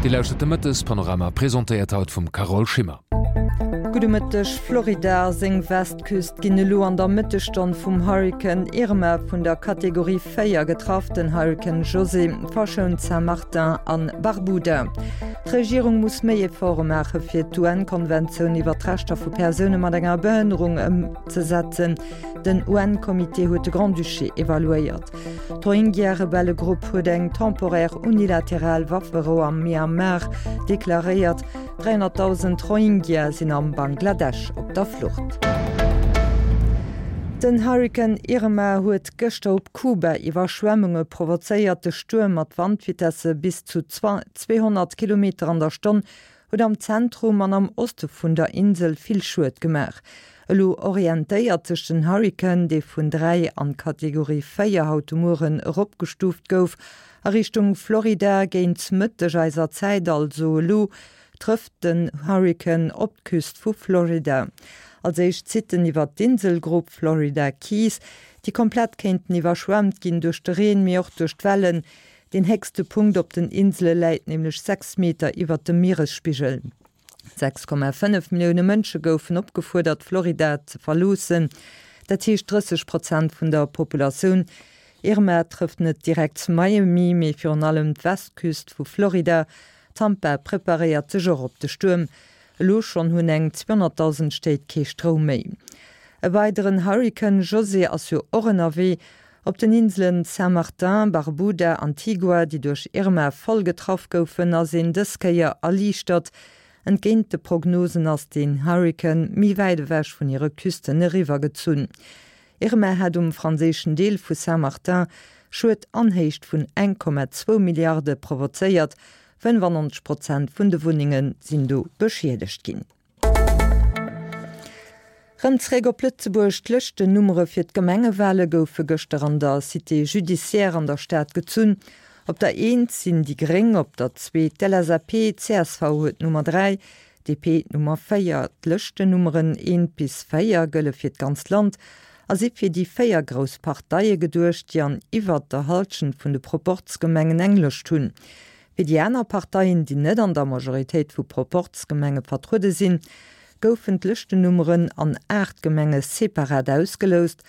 Dir lauschtert de Mëttespanorama, presentéiert haut vum Carole Schimmer. Gudde Mëtteg, Florida a seng Westküst ginn elo an der Mëttesstonn vum Hurrikan Irma vun der Kategorie 4 getraff. Den Hurrikan José verschount Saint-Martin an Barbuda. D'Regierung muss méi Efforte maache fir d'UN-Konventioun iwwer d'Rechter vu Persoune mat enger Behënnerung ëmzesetzen. Den UN-Comité huet de Grand-Duché evaluéiert. D'Rohingya-Rebellegrupp huet eng temporär unilateral Wafferou am Myanmar deklaréiert. 300.000 Rohingya sinn am Bangladesch op der Flucht. Den Hurrikan Irma huet gëschter op Kuba Iwwerschwemmunge provozéiert. De Stuerm mat Wandvitesse bis zu 200 Kilometer an der Stonn huet am Zentrum an am Oste vun der Insel vill Schued gemaach. Elo orientéiert sech den Hurrikan, dee vun 3 an d'Kategorie 4 haut de Mueren eropgestuuft gouf, a Richtung Florida. Géint Mëtteg eiser Zäit, also elo, trëfft den Hurrikan op d'Küst vu Florida. Als éischt zitt en iwwer d'Inselgrupp Florida Keys, déi komplett kéinten iwwerschwemmt ginn duerch de Reen, mee och duerch d'Wellen. Deen héchste Punkt op den Insele läit nämlech 6 Meter iwwert dem Mieresspigel. 6,5 Millioune Mënsche goufen opgefuerdert, Florida ze verloossen, dat heescht 30 Prozent vun der Populatioun. Irma trëfft net direkt Miami, mee virun allem d'Westküst vu Florida. Tampa preparéiert sech och op de Stuerm. Elo schonn hunn eng 200.000 Stéit kee Stroum méi. E weideren Hurrikan, José, ass jo och ënnerwee. Op den Inselen Saint-Martin, Barbuda, Antigua, déi duerch Irma voll getraff goufen, ass een dës Kéier erliichtert. Entgéint de Prognosen ass den Hurrikan méi wäit ewech vun hire Küsten eriwwer gezunn. Irma hat um franséischen Deel vu Saint-Martin Schued an Héicht vun 1,2 Milliarde provozéiert. 95 Prozent vun de Wunnenge sinn do beschiedegt ginn. Rëm zréck op Lëtzebuerg, D'Lëschtennummere fir d'Gemengewale goufe gëschter an der Cité judiciaire an der Stad gezunn. Op der Eent sinn déi Gréng, op der Zweet d'LSAP, csv huet d'Nummer 3, DP d'Nummer 4. D'Lëschtennummeren eent bis 4 gëlle fir d'ganzt Land a si fir déi 4 grouss Parteie geduecht, déi an iwwert der Hallschent vun de Proporzgemengen eng Lëscht hunn. Fir déi aner Parteien, déi net an der Majoritéit vu Proporzgemenge vertruede sinn, goufen d'Lëschtennummeren an 8 Gemenge separat ausgeloust.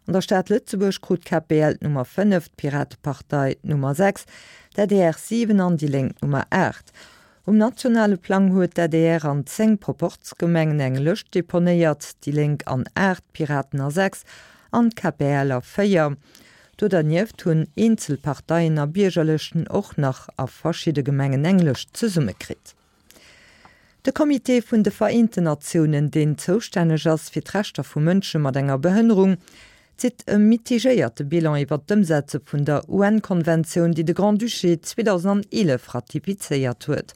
An der Stad Lëtzebuerg krut d'KPL d'Nummer 5, d'Piratepartei d'Nummer 6, d'ADR 7 an déi Lénk d'Nummer 8. Um nationale Plang huet d'ADR an 10 Proporzgemengen eng Lëscht deponéiert, déi Lénk an 8, d'Piraten a 6 an d'KPL a 4. Do dernieft hunn eenzel Parteien a Biergerlëschten och nach a verschidde Gemengen eng Lëscht zesummekritt. De Comité vun de Vereenten Natiounen, deen zoustänneg ass fir d'Rechter vu Mënsche mat enger Behënnerung, zitt e mitigéierte Bilan iwwer d'Ëmsetze vun der UN-Konventioun, déi de Grand-Duché 2011 ratifizéiert huet.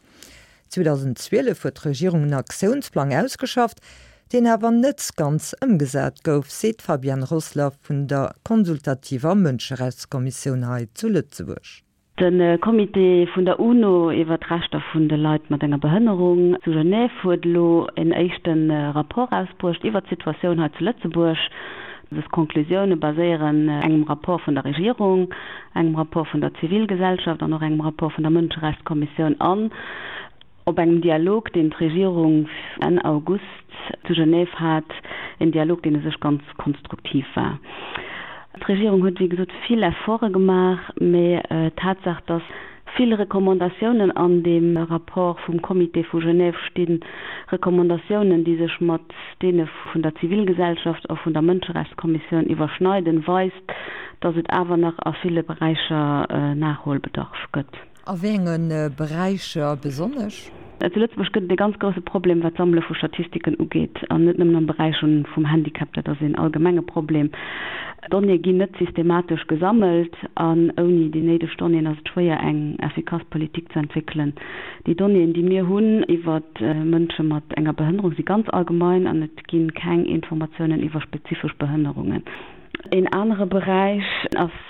2012 huet d'Regierung en Aktiounsplang ausgeschafft, deen awer net ganz ëmgesat gouf, seet d'Fabienne Rossler vun der consultativer Mënscherechtskommissioun hei zu Lëtzebuerg. De Comité vun der UNO iwwer d'Rechter vun de Leit mat enger Behënnerung zu Genève huet elo en éischte Rapport erausbruecht iwwer d'Situatioun hei zu Lëtzebuerg. Dës Conclusioune baséieren engem Rapport vun der Regierung, engem Rapport vun der Zivilgesellschaft an och engem Rapport vun der Mënscherechtskommissioun an Op engem Dialog, deen d'Regierung Enn August zu Genève hat, en Dialog, deen u sech ganz konstruktiv war. D'Regierung huet, wéi gesot, vill Efforte gemaach, mä d'Tatsaach, dass vill Recommandatiounen an deem Rapport vum Comité vu Genève stinn, Recommandatiounen, déi sech mat deene vun der Zivilgesellschaft a vun der Mënscherechtskommissioun iwwerschneiden, weist, dass et awer nach a ville Beräicher Nachholbedarf gëtt. A wéi enge Beräicher besonnesch? Zu Lëtzebuerg gëtt et e ganz grousse Problem, wat d'Sammele vu Statistiken ugeet, an net nëmmen am Beräich vum Handicap, dat ass een allgemenge Problem. Donnéeë ginn net systematesch gesammelt an ouni déi néideg Donnéeën ass et schwéier, eng effikass Politik ze entwéckelen. Déi Donnéeën, déi mir hunn iwwer Mënsche mat enger Behënnerung, si ganz allgemein an et gi keng Informatiounen iwwer spezifesch Behënnerungen. Een anere Beräich ass.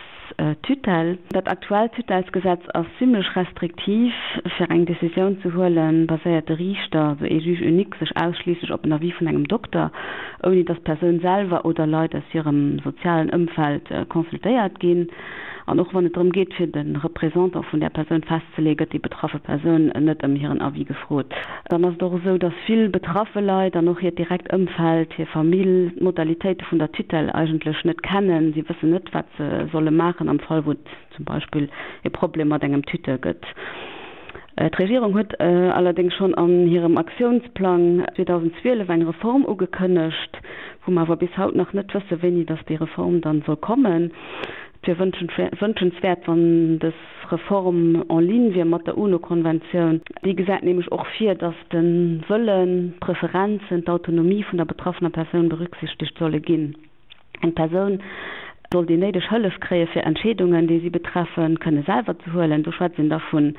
Tutelle. Dat aktuellt Tutellesgesetz ass zimmlech restriktiv. Fir eng Decisioun ze huelen, baséiert de Riichter, also ee Juge unique, sech ausschliisslech op en Avis vun engem Dokter, ouni datt d'Persoun selwer oder Leit aus hirem sozialen Ëmfeld consultéiert ginn. An och wann et drëm geet, fir de Représentant vun där Persoun festzeleeën, gëtt déi betraffe Persoun net ëm hiren Avis gefrot. Dann ass et och esou, datt vill betraffe Leit an och hiert direkt Ëmfeld, hir Famill, d'Modalitéite vun der Tutelle eigentlech net kennen. Si wëssen net, wat se solle maachen am Fall, wou et zum Beispill e Problem mat engem Tuteur gëtt. D'Regierung huet allerdéngs schonn an hirem Aktiounsplang 2012 eng Reform ugekënnegt, wou mer awer bis haut nach net wëssen, wéini datt déi Reform dann soll kommen. Et wier wënschenswäert, wann dës Reform en ligne wier mat der UNO-Konventioun. Déi gesäit nämlech och vir, datt de Wëllen, d'Preferenzen, d'Autonomie vun der betraffener Persoun berücksichtegt solle ginn. Eng Persoun soll déi néideg Hëllef kréie fir Entscheedungen, déi si betreffen, kënne selwer ze huelen. Do schwätzt een da vun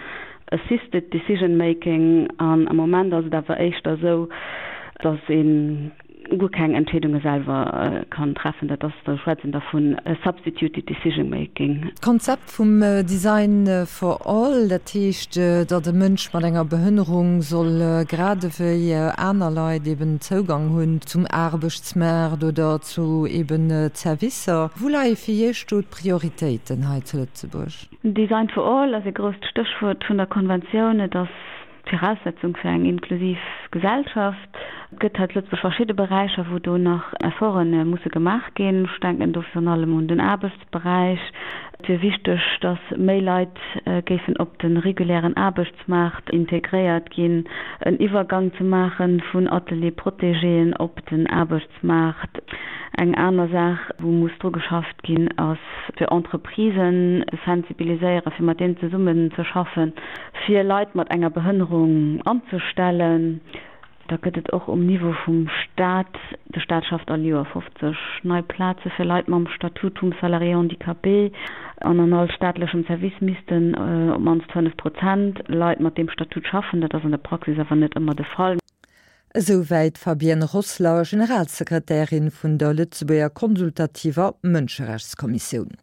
assisted decision making. An am Moment ass et awer éischter esou, datt ee guer keng Entscheedunge selwer kann treffen. Dat ass, do schwätzt een da vun substituted decision making. D'Konzept vum Design for all, dat heescht, datt e Mënsch mat enger Behënnerung soll grad ewéi aner Leit eben Zougang hunn zum Aarbechtsmaart oder zu eben Zerwisser. Wou leie fir Iech do d'Prioritéiten hei zu Lëtzebuerg? Design for all ass e grousst Stéchwuert vun der Konventioun. Et ass d'Viraussetzung fir eng inklusiv Gesellschaft. Et gëtt hei zu Lëtzebuerg verschidde Beräicher, wou do nach Efforte musse gemaach ginn. Ech denken do virun allem un den Aarbechtsberäich. Et wier wichteg, datt méi Leit géifen op de regulären Aarbechtsmaart integréiert ginn, en Iwwergang ze maache vun Atelier-protégéen op den Aarbechtsmaart. Eng aner Saach, wou muss dru geschafft ginn, ass fir Entreprisen ze sensibiliséieren, fir mat deenen zesummen ze schaffen, fir Leit mat enger Behënnerung anzestellen. Da gëtt et och um Niveau vum Staat, de Staat schafft all Joer 50 nei Plaze fir Leit mam Statut vum Salarié handicapé an an all staatlechem Service missten op d'mannst 5 Prozent Leit mat deem Statut schaffen. Dat ass an der Praxis awer net ëmmer de Fall. Esou wäit d'Fabienne Rossler, Generalsekretärin vun der Lëtzebuerger konsultativer Mënscherechtskommissioun.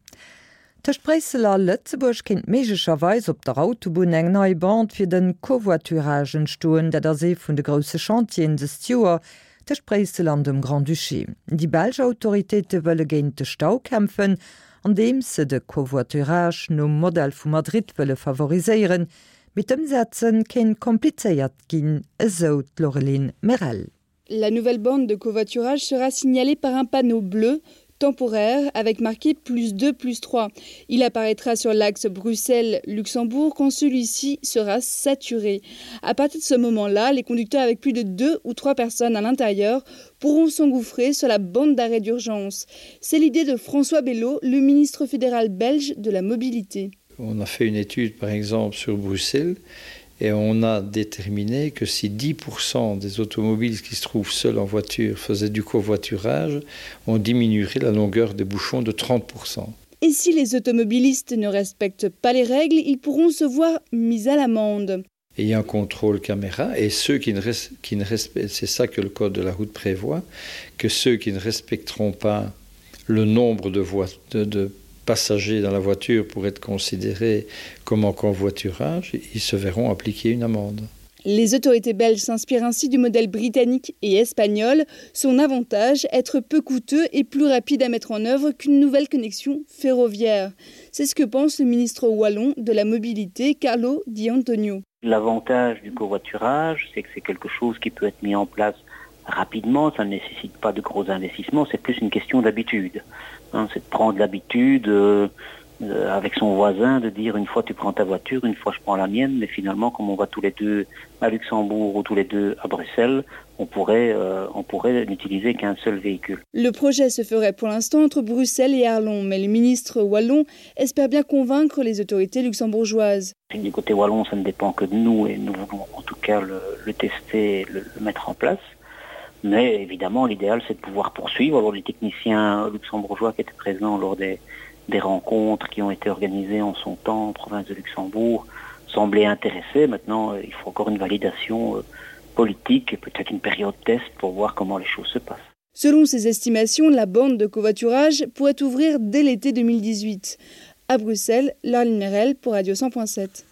Tëscht Bréissel a Lëtzebuerg kéint méiglecherweis op der Autobunn eng nei Bande fir de Covoiturage entstoen. Dat ass ee vun de grousse Chantieren dëst Joer tëscht Bréissel an dem Grand-Duché. Déi belsch Autoritéite wëlle géint de Stau kämpfen, andeems se de Covoiturage nom Modell vu Madrid wëlle favoriséieren. Mee d'Ëmsetze kéint komplizéiert ginn, esou d'Laureline Merel. La nouvelle bande de covoiturage sera signalée par un panneau bleu temporaire avec marqué plus 2 plus 3. Il apparaîtra sur l'axe Bruxelles-Luxembourg quand celui-ci sera saturé. À partir de ce moment-là, les conducteurs avec plus de deux ou trois personnes à l'intérieur pourront s'engouffrer sur la bande d'arrêt d'urgence. C'est l'idée de François Bello, le ministre fédéral belge de la mobilité. On a fait une étude par exemple sur Bruxelles et on a déterminé que si 10% des automobiles qui se trouvent seuls en voiture faisaient du covoiturage, on diminuerait la longueur des bouchons de 30%. Et si les automobilistes ne respectent pas les règles, ils pourront se voir mis à l'amende. Et il y a un contrôle caméra et ceux qui ne, qui ne respectent c'est ça que le code de la route prévoit que ceux qui ne respecteront pas le nombre de voies de, de passagers dans la voiture pour être considérés comme en convoiturage ils se verront appliquer une amende. Les autorités belges s'inspirent ainsi du modèle britannique et espagnol. Son avantage, être peu coûteux et plus rapide à mettre en œuvre qu'une nouvelle connexion ferroviaire. C'est ce que pense le ministre wallon de la mobilité Carlo Di Antonio. L'avantage du covoiturage, c'est que c'est quelque chose qui peut être mis en place rapidement, ça ne nécessite pas de gros investissements, c'est plus une question d'habitude. C'est de prendre l'habitude euh, euh, avec son voisin de dire une fois tu prends ta voiture, une fois je prends la mienne, mais finalement comme on va tous les deux à Luxembourg ou tous les deux à Bruxelles, on pourrait, euh, on pourrait n'utiliser qu'un seul véhicule. Le projet se ferait pour l'instant entre Bruxelles et Arlon, mais le ministre wallon espère bien convaincre les autorités luxembourgeoises. Du côté wallon, ça ne dépend que de nous et nous voulons en tout cas le, le tester, le, le mettre en place. Mais évidemment, l'idéal c'est de pouvoir poursuivre. Alors, les techniciens luxembourgeois qui étaient présents lors des, des rencontres qui ont été organisées en son temps en province de Luxembourg semblaient intéressés. Maintenant, euh, il faut encore une validation euh, politique et peut-être une période test pour voir comment les choses se passent. Selon ses estimations, la bande de covoiturage pourrait ouvrir dès l'été 2018. À Bruxelles, Laureline Merel pour Radio 100.7.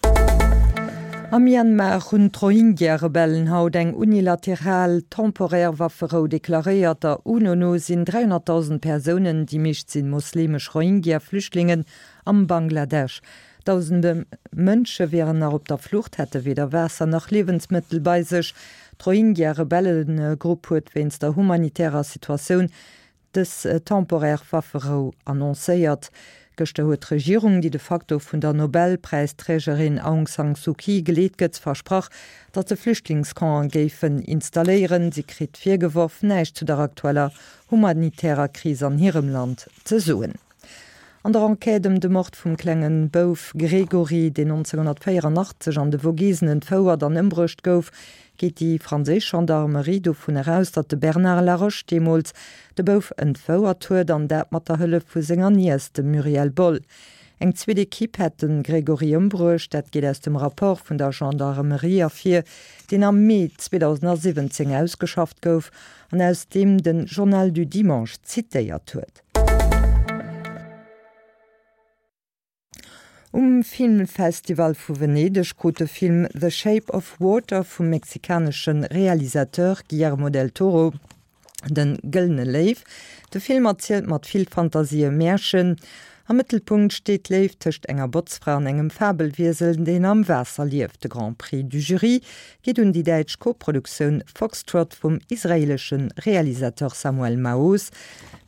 Am Myanmar hunn d'Rohingya-Rebellen haut eng unilateral, temporär Wafferou deklaréiert. Der UNO no sinn 300.000 Persounen, déi meescht sinn mosleemesch Rohingya-Flüchtlingen, am Bangladesch. Dausende Mënsche wieren nach op der Flucht, hätte weder Waasser nach Liewensmëttel bei sech. D'Rohingya-Rebellegrupp huet wéinst der humanitärer Situatioun dës temporär Wafferou annoncéiert. Gëschter huet d'Regierung, déi de facto vun der Nobelpräisträgerin Aung San Suu Kyi geleet gëtt, versprach, datt se Flüchtlingscampen géifen installéieren. Si kritt virgeworf, näischt zu der aktueller humanitärer Kris an hirem Land ze soen. An der Enquête ëm de Mord vum klenge Bouf Grégory, deen 1984 an de Vogesen entfouert an ëmbruecht gouf, geet déi franséisch Gendarmerie dovun eraus, datt de Bernard Laroche deemools de Bouf entfouert huet, an dat mat der Hëllef vu senger Niess, dem Muriel Boll. Eng zweet Ekipp hätt de Grégory ëmbruecht, dat geet aus dem Rapport vun der Gendarmerie ervir, deen am Mee 2017 ausgeschafft gouf an aus deem de Journal du Dimanche zitéiert huet. Um Filmfestival vu Venedeg krut de Film The Shape of Water vum mexikanesche Realisateur Guillermo del Toro de Gëllene Léiw. De Film erzielt mat vill Fantasie e Märchen. Am Mëttelpunkt steet d'Léift tëscht enger Botzfra an engem Fabelwiesel, deen am Waasser lieft. De Grand Prix du Jury geet un déi däitsch Koproduktioun Foxtrot vum israeelesche Realisateur Samuel Maoz.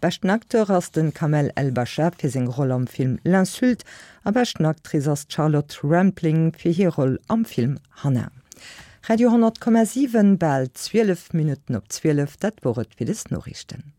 Beschten Acteur ass de Kamel El Basha fir seng Roll am Film L'Insulte a beschten Actrice ass d'Charlotte Rampling fir hir Roll am Film Hanna. Radio 10,7, bal 12 Minutten op 12, dat wor et fir des Noriichten.